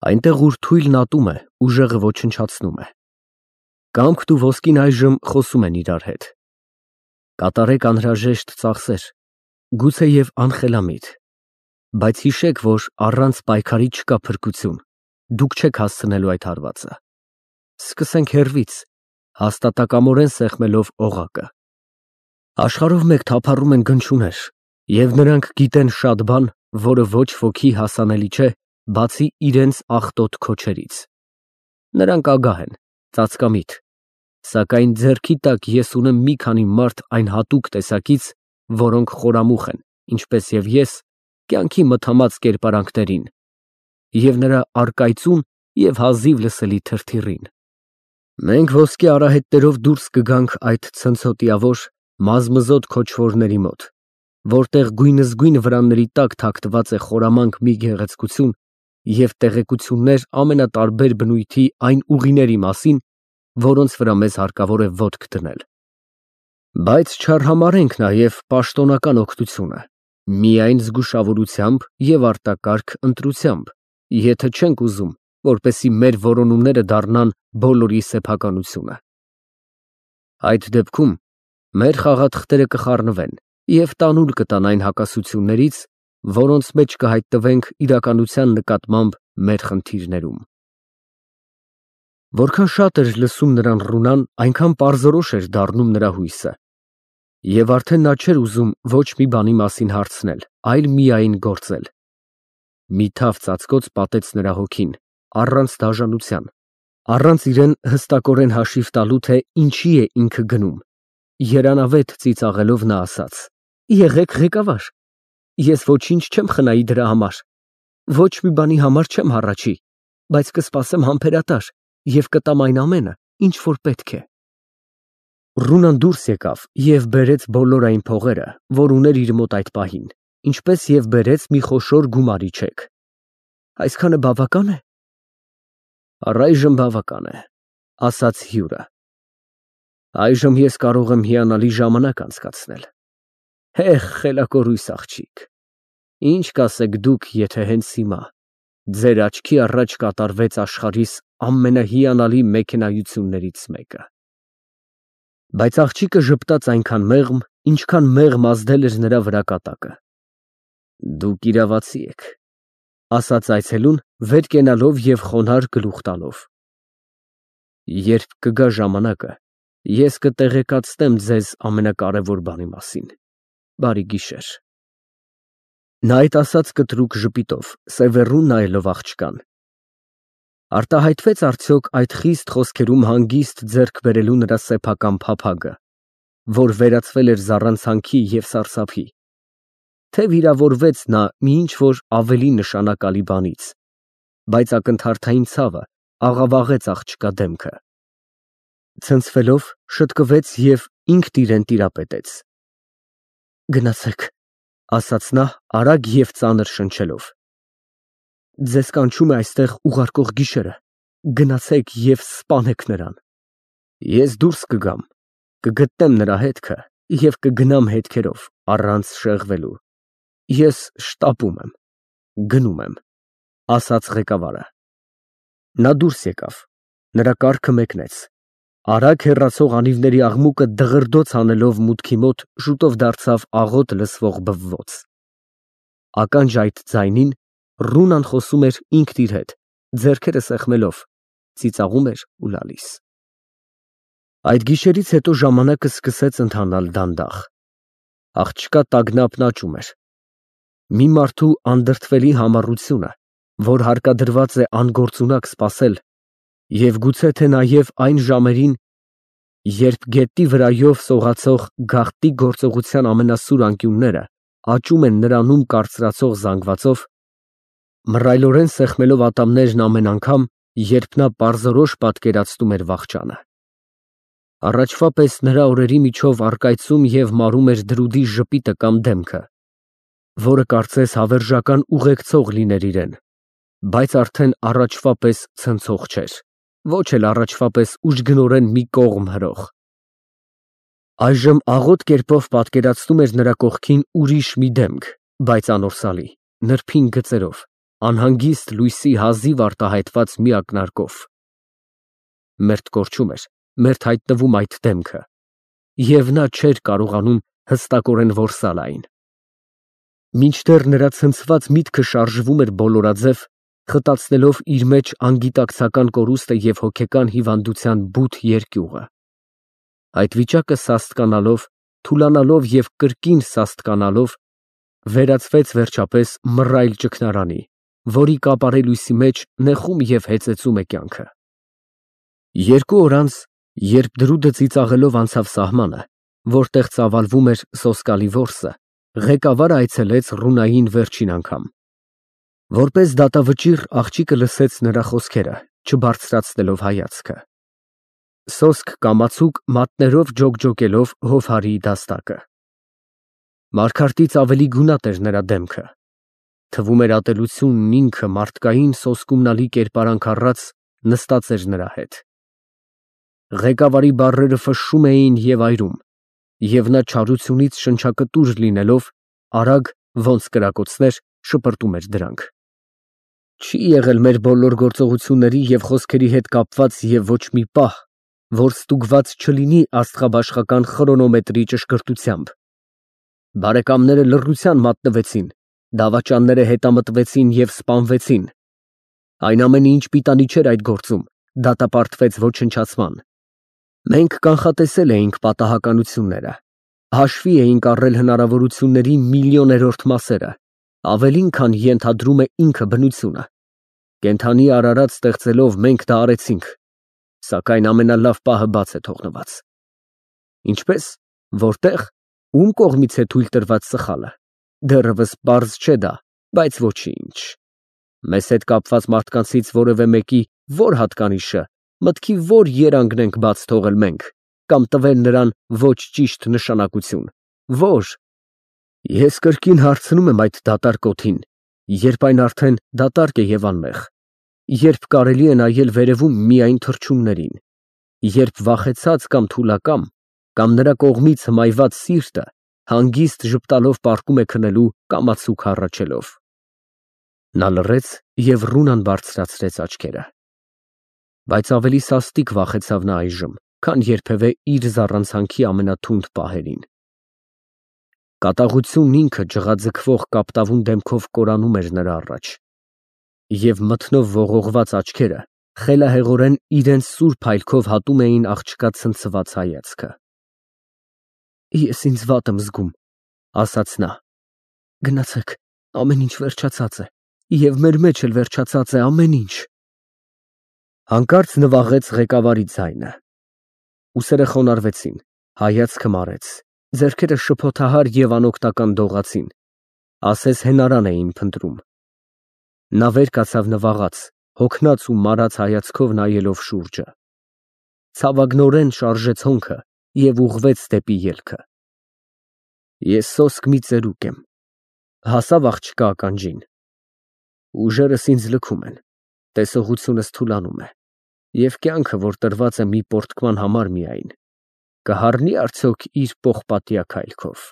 Այնտեղ, ուր թույլն ատում է, ուժեղը ոչնչացնում է։ Կամքն ու ոսկին այժմ խոսում են իրար հետ։ Կատարեք անհրաժեշտ ծախսեր, գուցեև անխելամիտ, բայց հիշեք, որ առանց պայքարի չկա փրկություն, դուք չեք հասցնելու այդ հարվածը։ Սկսենք հեռվից, հաստատակամորեն սեղմելով օղակը։ Աշխարհով մեկ թափառում են գնչուներ, և նրանք գիտեն շատ բան, որը ոչ ոքի հասանելի չէ, բացի իրենց աղտոտ քոչերից։ Նրանք ագահ են, ծածկամիտ, սակայն ձեռքի տակ ես ունեմ մի քանի մարդ այն հատուկ տեսակից, որոնք խորամուխ են, ինչպես և ես, կյանքի մթամած կերպարանքներին, և նրա առկայծուն և հազիվ լսելի թրթիռին։ Մենք ոսկե արահետներով դուրս կգանք այդ ցնցոտիավոր, մազմզոտ քոչվորների մոտ, որտեղ գույնզգույն վրանների տակ թաքնված է խորամանկ մի գեղեցկություն և տեղեկություններ ամենատարբեր բնույթի այն ուղիների մասին, որոնց վրա մեզ հարկավոր է ոտք դնել։ Բայց չարհամարհենք նաև պաշտոնական օգնությունը, միայն զգուշավորությամբ և արտակարգ ընտրությամբ, եթե չենք ուզում, որպեսզի մեր որոնումները դառնան բոլորի սեփականությունը։ Այդ դեպքում մեր խաղաթղթերը կխառնվեն և տանուլ կտան այն հակասություններից, որոնց մեջ կհայտնվենք իրականության նկատմամբ մեր խնդիրներում։ Որքան շատ էր լսում նրան Ռունան, այնքան պարզորոշ էր դառնում նրա հույսը, և արդեն նա չէր ուզում ոչ մի բանի մասին հարցնել, այլ միայն գործել։ Մի թավ ծածկոց պատեց նրա հոգին, առանց դաժանության, առանց իրան հստակորեն հաշիվ տալու, թե ինչի է ինքը գնում։ Երանավետ ծիծաղելով նա ասաց. «Եղեք ղեկավար, ես ոչինչ չեմ խնայի դրա համար, ոչ մի բանի համար չեմ հառաչի, բայց կսպասեմ համբերատար և կտամ այն ամենը, ինչ որ պետք է»։ Ռունան դուրս եկավ և բերեց բոլոր այն փողերը, որ ուներ իր մոտ այդ պահին, ինչպես և բերեց մի խոշոր գումարի չեք։ Այսքանը բավակա՞ն է։ Առայժմ բավական է, ասաց հյուրը։ Այժմ ես կարող եմ հիանալի ժամանակ անցկացնել։ Հե, խելակորույս աղջիկ, ինչ կասեք դուք, եթե հենց հիմա ձեր աչքի առաջ կատարվեց աշխարհիս ամենահիանալի մեքենայություններից մեկը։ Բայց աղջիկը ժպտաց այնքան մեղմ, ինչքան մեղմ ազդել էր նրա վրա կատակը։ Դուք իրավացի եք, ասաց այցելուն, վեր կենալով և խոնարհ գլուխ տալով։ Երբ կգա ժամանակը, ես կտեղեկացնեմ ձեզ ամենակարևոր բանի մասին։ Բարի գիշեր։ Նա այդ ասաց կտրուկ ժպիտով, սևեռուն նայելով աղջկան։ Արտահայտվեց արդյոք այդ խիստ խոսքերում հանգիստ ձեռք բերելու նրա սեփական փափագը, որ վերածվել էր զառանցանքի և սարսափի, թե վիրավորվեց նա մի ինչ֊որ ավելի նշանակալի բանից, բայց ակնթարթային ցավը աղավաղեց աղջկա դեմքը։ Ցնցվելով շտկվեց և ինքն իրան տիրապետեց։ Գնացեք, ասաց նա արագ և ծանր շնչելով։ Ձեզ կանչում է այստեղ ուղարկող գիշերը, գնացեք և սպանեք նրան։ Ես դուրս կգամ, կգտնեմ նրա հետքը և կգնամ հետքերով, առանց շեղվելու։ Ես շտապում եմ, գնում եմ, ասաց ղեկավարը։ Նա դուրս եկավ, նրա կառքը մեկնեց, արագ հեռացող անիվների աղմուկը դղրդոց անելով մուտքի մոտ շուտով դարձավ աղոտ լսվող բվոց։ Ականջ այդ ձայնին Ռունան խոսում էր ինքն իր հետ, ձեռքերը սեղմելով, ծիծաղում էր ու լալիս։ Այդ գիշերից հետո ժամանակը սկսեց ընթանալ դանդաղ։ Աղջկա տագնապն աճում էր։ Մի մարդու անդրդվելի համառությունը, որ հարկադրված է անգործունակ սպասել, և գուցե թե նաև այն ժամերին, երբ գետնի վրայով սողացող գաղտնի գործողության ամենասուր անկյունները աճում են նրանում կարծրացող զանգվածով, մռայլորեն սեղմելով ատամներն ամեն անգամ, երբ նա պարզորոշ պատկերացնում էր վախճանը։ Առաջվա պես նրա օրերի միջով առկայծում և մարում էր դրուդի ժպիտը կամ դեմքը, որը կարծես հավերժական ուղեկցող լիներ իրեն, բայց արդեն առաջվա պես ցնցող չէր, ոչ էլ առաջվա պես ուժգնորեն մի կողմ հրող։ Այժմ աղոտ կերպով պատկերացնում էր նրա կողքին ուրիշ մի դեմք, բայց անորսալի, նրբին գծերով, անհանգիստ լույսի հազիվ արտահայտված մի ակնարկով։ Մերթ կորչում էր, մերթ հայտնվում այդ դեմքը, և նա չէր կարողանում հստակորեն որսալ այն։ Մինչդեռ նրա ցնցված միտքը շարժվում էր բոլորաձև, խտացնելով իր մեջ անգիտակցական կորուստը և հոգեկան հիվանդության բութ երկյուղը։ Այդ վիճակը սաստկանալով, թուլանալով և կրկին սաստկանալով, վերածվեց վերջապես մռայլ ճգնարանի, որի կապարե լույսի մեջ նեղում և հեծեծում է կյանքը։ 2 օր անց, երբ դրուդը ծիծաղելով անցավ սահմանը, որտեղ ծավալվում էր սոսկալի որսը, ղեկավարը այցելեց Ռունային վերջին անգամ։ Որպես դատավճիռ աղջիկը լսեց նրա խոսքերը, չբարձրացնելով հայացքը։ Սոսկ կամացուկ մատներով ջոկջոկելով Հովհարի դաստակը։ Մարգարտից ավելի գունատ էր նրա դեմքը։ Թվում էր ատելությունն ինքը մարդկային սոսկումնալի կերպարանք առած նստած էր նրա հետ։ Ղեկավարի բառերը ֆշշում էին և այրում, և նա չարությունից շնչակտուր լինելով, արագ, ոնց կրակոցներ, շպրտում էր դրանք։ Չի եղել մեր բոլոր գործողությունների և խոսքերի հետ կապված և ոչ մի պահ, որ ստուգված չլինի աստղաբաշխական խրոնոմետրի ճշգրտությամբ։ Բարեկամները լռության մատնվեցին, դավաճանները հետամտվեցին և սպանվեցին։ Այն ամենը, ինչ պիտանի չէր այդ գործում, դատապարտվեց ոչնչացման։ Մենք կանխատեսել էինք պատահականությունները, հաշվի էինք առել հնարավորությունների միլիոներորդ մասերը, ավելին, քան ենթադրում է ինքը բնությունը։ Կենդանի արարած ստեղծելով մենք դա արեցինք, սակայն ամենալավ պահը բաց է թողնված։ Ինչպես, որտեղ, ում կողմից է թույլ տրված սխալը, դեռևս պարզ չէ դա, բայց ոչինչ։ Մեզ հետ կապված մարդկանցից որևէ մեկի որ հատկանիշը, մտքի որ երանգն ենք բաց թողել մենք, կամ տվել նրան ոչ ճիշտ նշանակություն, որ… Ես կրկին հարցնում եմ այդ դատարկ օդին, երբ այն արդեն դատարկ է և անմեղ, երբ կարելի է նայել վերևում միայն թռչուններին, երբ վախեցած կամ թուլակամ, կամ նրա կողմից հմայված սիրտը հանգիստ ժպտալով պառկում է քնելու կամացուկ հառաչելով։ Նա լռեց և Ռունան բարձրացրեց աչքերը։ Բայց ավելի սաստիկ վախեցավ նա այժմ, քան երբևէ իր զառանցանքի ամենաթունդ պահերին։ Կատաղությունն ինքը ջղաձգվող կապտավուն դեմքով կորանում էր նրա առաջ, և մթնով ողողված աչքերը խելահեղորեն իրենց սուրբ հայելքով հատում էին աղջկա ցնցված հայացքը։ Ես ինձ վատ եմ զգում, ասաց նա։ Գնացեք, ամեն ինչ վերջացած է, և մեր մեջ էլ վերջացած է ամեն ինչ։ Հանկարծ նվաղեց ղեկավարի ձայնը։ Ուսերը խոնարհվեցին, հայացքը մարեց, ձեռքերը շփոթահար և անօգնական դողացին, ասես հենարան էին փնտրում։ Նա վեր կացավ նվաղած, հոգնած ու մարած հայացքով նայելով շուրջը։ Ցավագնորեն շարժեց հոնքը և ուղղվեց դեպի ելքը։ Ես սոսկ մի ծերուկ եմ, հասավ աղջկա ականջին։ Ուժերս ինձ լքում են, տեսողությունս թուլանում է, և կյանքը, որ տրված է մի պոռթկման համար միայն, կհառնի արդյոք իր պողպատյա քայլքով։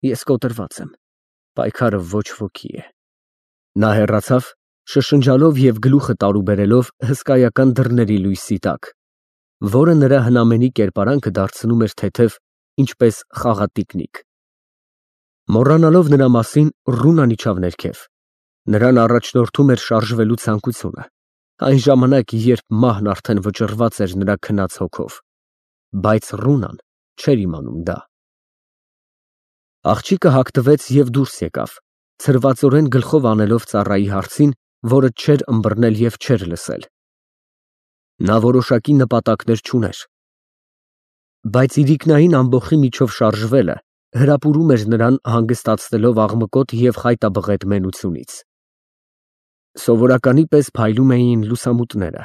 Ես կոտրված եմ, պայքարը ոչ ոքի է։ Նա հեռացավ, շշնջալով և գլուխը տարուբերելով հսկայական դռների լույսի տակ, որը նրա հնամենի կերպարանքը դարձնում էր թեթև, ինչպես խաղատիկնիկ։ Մոռանալով նրա մասին, Ռունան իջավ ներքև։ Նրան առաջնորդում էր շարժվելու ցանկությունը, այն ժամանակ, երբ մահն արդեն վճռված էր նրա քնած հոգով, բայց Ռունան չէր իմանում դա։ Աղջիկը հագնվեց և դուրս եկավ, ցրվածորեն գլխով անելով ծառայի հարցին, որը չէր ըմբռնել և չէր լսել։ Նա որոշակի նպատակներ չուներ, բայց իրիկնային ամբոխի միջով շարժվելը հրապուրում էր նրան հանգստացնելով աղմկոտ և խայտաբղետ մենությունից։ Սովորականի պես փայլում էին լուսամուտները։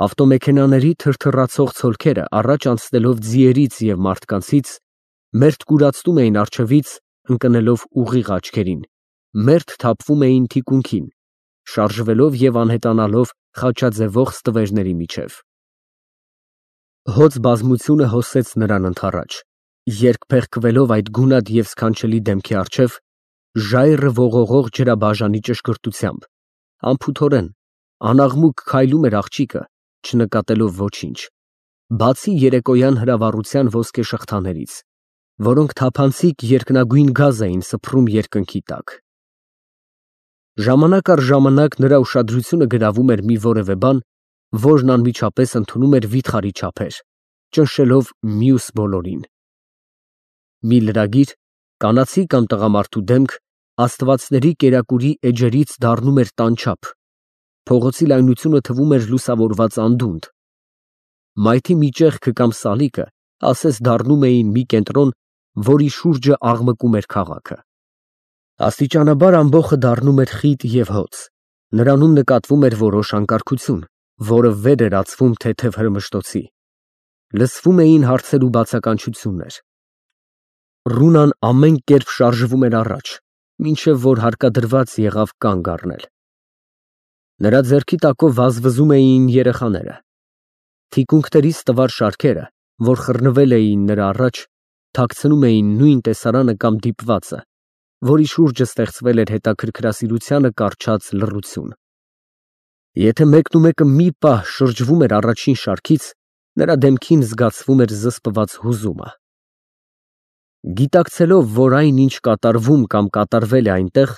Ավտոմեքենաների թրթռացող ցոլքերը առաջ անցնելով ձիերից և մարդկանցից, մերթ կուրացնում էին առջևից, ընկնելով ուղիղ աչքերին, մերթ թափվում էին թիկունքին, շարժվելով և անհետանալով խաչաձևող ստվերների միջև։ Հոծ բազմությունը հոսեց նրան ընդառաջ, երկփեղկվելով այդ գունատ և սքանչելի դեմքի առջև, ժայռը ողողող ջրաբաժանի ճշգրտությամբ, անփութորեն, անաղմուկ քայլում էր աղջիկը, չնկատելով ոչինչ, բացի երեկոյան հրավառության ոսկե շղթաներից, որոնք թափանցիկ երկնագույն գազ էին սփռում երկնքի տակ։ Ժամանակ առ ժամանակ նրա ուշադրությունը գրավում էր մի որևէ բան, որն անմիջապես ընդունում էր վիթխարի չափեր, ճնշելով մյուս բոլորին։ Մի լրագիր, կանացի կամ տղամարդու դեմք, աստվածների կերակուրի էջերից դառնում էր տանչափ, փողոցի լայնությունը թվում էր լուսավորված անդունդ, մայթի մի ճեղքը կամ սալիկը ասես դառնում էին մի կենտրոն, որի շուրջը աղմկում էր քաղաքը։ Աստիճանաբար ամբոխը դառնում էր խիտ և հոծ, նրանում նկատվում էր որոշ անկարգություն, որը վեր էր ածվում թեթև հրմշտոցի, լսվում էին հարցեր ու բացականչություններ։ Ռունան ամեն կերպ շարժվում էր առաջ, մինչև որ հարկադրված եղավ կանգ առնել։ Նրա ձեռքի տակով վազվզում էին երեխաները։ Թիկունքներիս տվար շարքերը, որ խռնվել էին նրա առաջ, թաքցնում էին նույն տեսարանը կամ դիպվածը, որի շուրջը ստեղծվել էր հետաքրքրասիրությանը կառչած լռություն։ Եթե մեկնումեկը մի պահ շրջվում էր առաջին շարքից, նրա դեմքին զգացվում էր զսպված հուզումը։ Գիտակցելով, որ այն, ինչ կատարվում կամ կատարվել է այնտեղ,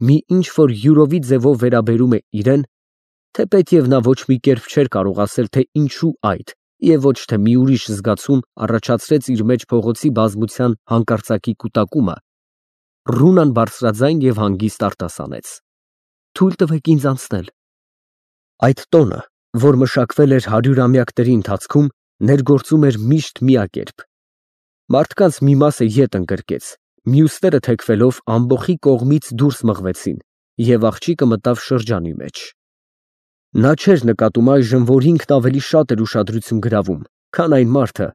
մի ինչ-որ յուրովի ձևով վերաբերում է իրեն, թեպետև նա ոչ մի կերպ չէր կարող ասել, թե ինչու այդ, և ոչ թե մի ուրիշ զգացում առաջացրեց իր մեջ փողոցի բազմության հանկարծակի կուտակումը, Ռունան բարձրաձայն և հանգիստ արտասանեց. «Թույլ տվեք ինձ անցնել»։ Այդ տոնը, որ մշակվել էր հարյուրամյակների ընթացքում, ներգործում էր միշտ միակերպ։ Մարդկանց մի մասը ետ ընկրկեց, մյուսները թեքվելով ամբոխի կողմից դուրս մղվեցին, և աղջիկը մտավ շրջանի մեջ։ Նա չէր նկատում այժմ, որ ինքն ավելի շատ էր ուշադրություն գրավում, քան այն մարդը,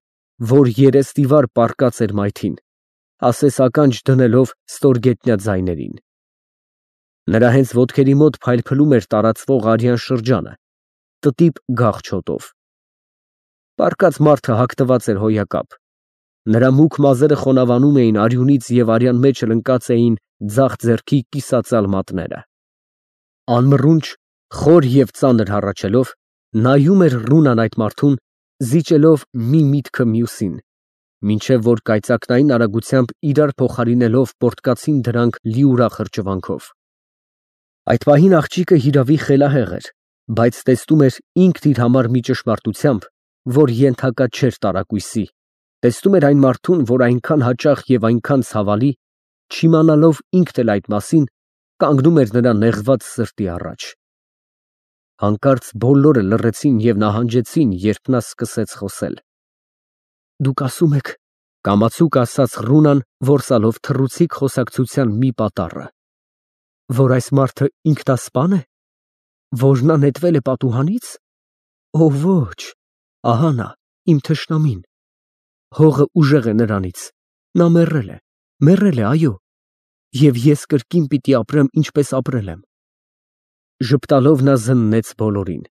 որ երեսնիվար պառկած էր մայթին, ասես ականջ դնելով ստորգետնյա ձայներին։ Նրա հենց ոտքերի մոտ փայլփլում էր տարածվող արյան շրջանը, տտիպ գաղ չոտով։ Պառկած մարդը հագնված էր հոյակապ։ Նրա մուգ մազերը խոնավանում էին արյունից և արյան մեջ ընկած էին ձախ ձեռքի կիսածալ մատները։ Անմռունչ, խոր և ծանր հառաչելով, նայում էր Ռունան այդ մարդուն, զիջելով մի միտքը մյուսին, մինչև որ կայծակնային արագությամբ իրար փոխարինելով պոռթկացին դրանք լիուրախ հրճվանքով։ Այդ պահին աղջիկը հիրավի խելահեղ էր, բայց տեսնում էր ինքն իր համար մի ճշմարտությամբ, որ ենթակա չէր տարակույսի, տեսնում էր այն մարդուն, որ այնքան հաճախ և այնքան ցավալի, չիմանալով ինքն էլ այդ մասին, կանգնում էր նրա նեղված սրտի առաջ։ Հանկարծ բոլորը լռեցին և նահանջեցին, երբ նա սկսեց խոսել։ «Դուք ասում եք», կամացուկ ասաց Ռունան, որսալով թռուցիկ խոսակցության մի պատառը, «որ այս մարդը ինքնասպա՞ն է, որ նա նետվել է պատուհանից։ Օ ոչ, ահա նա, իմ թշնամին, հողը ուժեղ է նրանից, նա մեռել է, այո, և ես կրկին պիտի ապրեմ, ինչպես ապրել եմ»։ Ժպտալով նա զննեց բոլորին,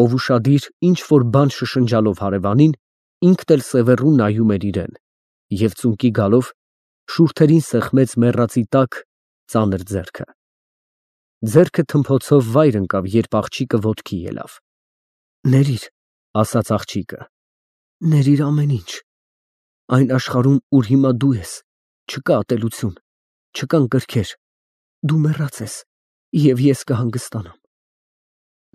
ով ուշադիր ինչ֊որ բան շշնջալով հարևանին, ինքն էլ սևեռուն նայում էր իրան, և ծունկի գալով, շուրթերին սեղմեց մեռածի տակ ծանր ձեռքը։ Ձեռքը թմփոցով վայր ընկավ, երբ աղջիկը ոտքի ելավ։ «Ներիր», ասաց աղջիկը, «ներիր ամեն ինչ։ Այն աշխարհում, ուր հիմա դու ես, չկա ատելություն, չկան կրքեր, դու մեռած ես, և ես կհանգստանամ»։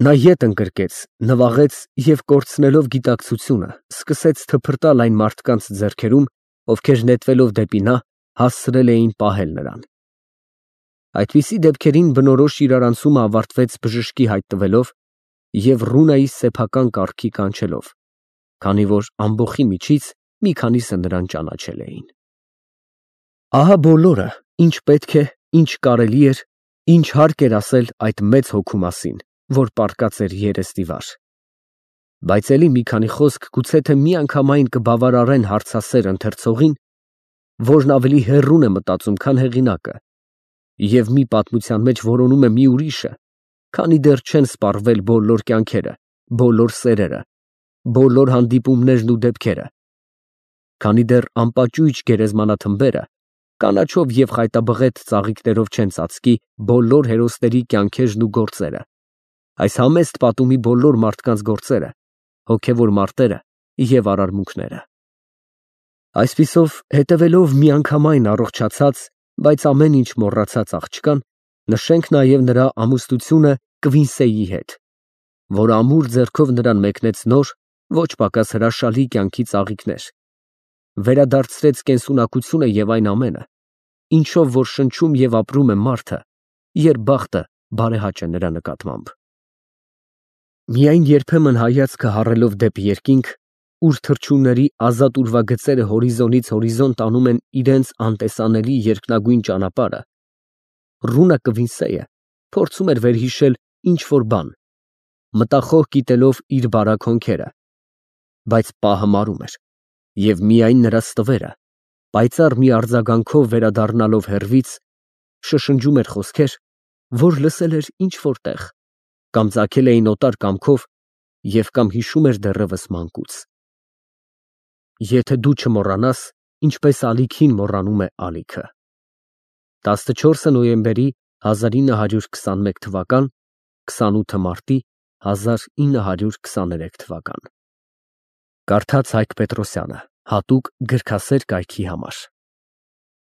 Նա ետ ընկրկեց, նվաղեց և, կորցնելով գիտակցությունը, սկսեց թփրտալ այն մարդկանց ձեռքերում, ովքեր նետվելով դեպի նա, հասցրել էին պահել նրան։ Այդպիսի դեպքերին բնորոշ իրարանցումը ավարտվեց բժշկի հայտ տվելով և Ռունայի սեփական կառքի կանչելով, քանի որ ամբոխի միջից մի քանիսը նրան ճանաչել էին։ Ահա բոլորը, ինչ պետք է, ինչ կարելի էր, ինչ հարկ էր ասել այդ մեծ հոգու մասին, որ պառկած էր երեսնիվար։ Բայց էլի մի քանի խոսք գուցե թե միանգամայն կբավարարեն հարցասեր ընթերցողին, որն ավելի հեռուն է մտածում, քան հեղինակը, և մի պատմության մեջ որոնում է մի ուրիշը, քանի դեռ չեն սպառվել բոլոր կյանքերը, բոլոր սերերը, բոլոր հանդիպումներն ու դեպքերը, քանի դեռ անպաճույճ գերեզմանաթմբերը Կանաչով և խայտաբղետ ծաղիկներով չեն ծածկի բոլոր հերոսների կյանքերն ու գործերը, այս համեստ պատումի բոլոր մարդկանց գործերը, հոգևոր մարտերը և արարմունքները։ Այսպիսով, հետևելով միանգամայն առողջացած, բայց ամեն ինչ մոռացած աղջկան, նշենք նաև նրա ամուսնությունը Կվինսեի հետ, որ ամուր ձեռքով նրան մեկնեց նոր, ոչ պակաս հրաշալի կյանքի ծաղիկներ, վերադարձրեց կենսունակությունը և այն ամենը, ինչով որ շնչում և ապրում է մարդը, երբ բախտը բարեհաճ է նրա նկատմամբ։ Միայն երբեմն հայացքը հառելով դեպի երկինք, ուր թռչունների ազատ ուրվագծերը հորիզոնից հորիզոն տանում են իրենց անտեսանելի երկնագույն ճանապարհը, ռունը Կվինսեյը փորձում էր վերհիշել ինչ-որ բան, մտախոհ կիտելով իր բարակ հոնքերը, բայց պահը մարում էր, և միայն նրա ստվերը, պայծառ մի արձագանքով վերադառնալով հեռվից, շշնջում էր խոսքեր, որ լսել էր ինչ֊որ տեղ, կամ ծագել էին օտար կամքով և կամ հիշում էր դեռևս մանկուց։ Եթե դու չմոռանաս, ինչպես ալիքին մոռանում է ալիքը։ 14 նոյեմբերի 1921 թվական 28 մարտի 1923 Կարդաց Հայկ Պետրոսյանը հատուկ գրքասեր կայքի համար։